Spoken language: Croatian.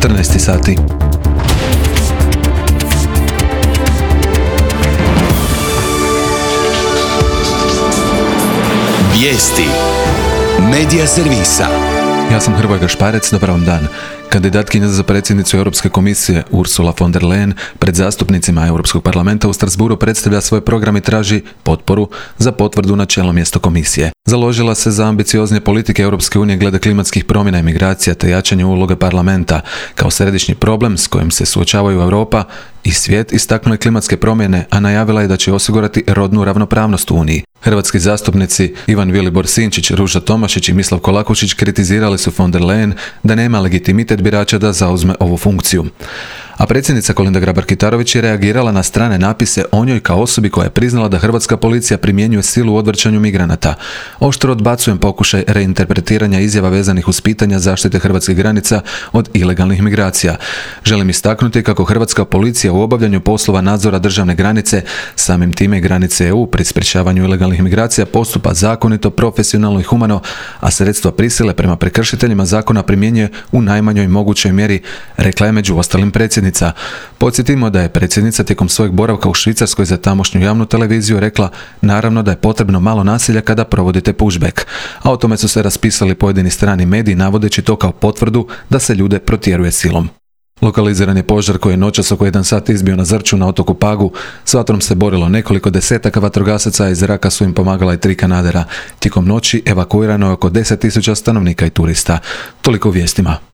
14 sati. Vijesti Medija servisa. Ja sam Hrvoje Gašparec, dobar vam dan. Kandidatkinja za predsjednicu Europske komisije Ursula von der Leyen pred zastupnicima Europskog parlamenta u Strasbourgu predstavlja svoj program i traži potporu za potvrdu na čelno mjesto komisije. Založila se za ambicioznije politike Europske unije glede klimatskih promjena i migracija te jačanje uloge parlamenta kao središnji problem s kojim se suočavaju Europa i svijet. Istaknula je klimatske promjene, a najavila je da će osigurati rodnu ravnopravnost u Uniji. Hrvatski zastupnici Ivan Vilibor Sinčić, Ruža Tomašić i Mislav Kolakušić kritizirali su von der Leyen da nema legitimitet birača da zauzme ovu funkciju. A predsjednica Kolinda Grabar-Kitarović je reagirala na strane napise o njoj kao osobi koja je priznala da hrvatska policija primjenjuje silu u odvrćanju migranata. Oštro odbacujem pokušaj reinterpretiranja izjava vezanih uz pitanja zaštite hrvatskih granica od ilegalnih migracija. Želim istaknuti kako hrvatska policija u obavljanju poslova nadzora državne granice, samim time i granice EU pri sprječavanju ilegalnih migracija postupa zakonito, profesionalno i humano, a sredstva prisile prema prekršiteljima zakona primjenjuje u najmanjoj mogućoj mjeri, rekla je među ostalim predsjednica. Podsjetimo da je predsjednica tijekom svojeg boravka u Švicarskoj za tamošnju javnu televiziju rekla naravno da je potrebno malo nasilja kada provodite pushback, a o tome su se raspisali pojedini strani mediji navodeći to kao potvrdu da se ljude protjeruje silom. Lokaliziran je požar koji je noćas oko 1 sat izbio na Zrću na otoku Pagu. S vatrom se borilo nekoliko desetaka vatrogasaca, a iz zraka su im pomagala i 3 kanadera. Tijekom noći evakuirano je oko 10.000 stanovnika i turista. Toliko u vijestima.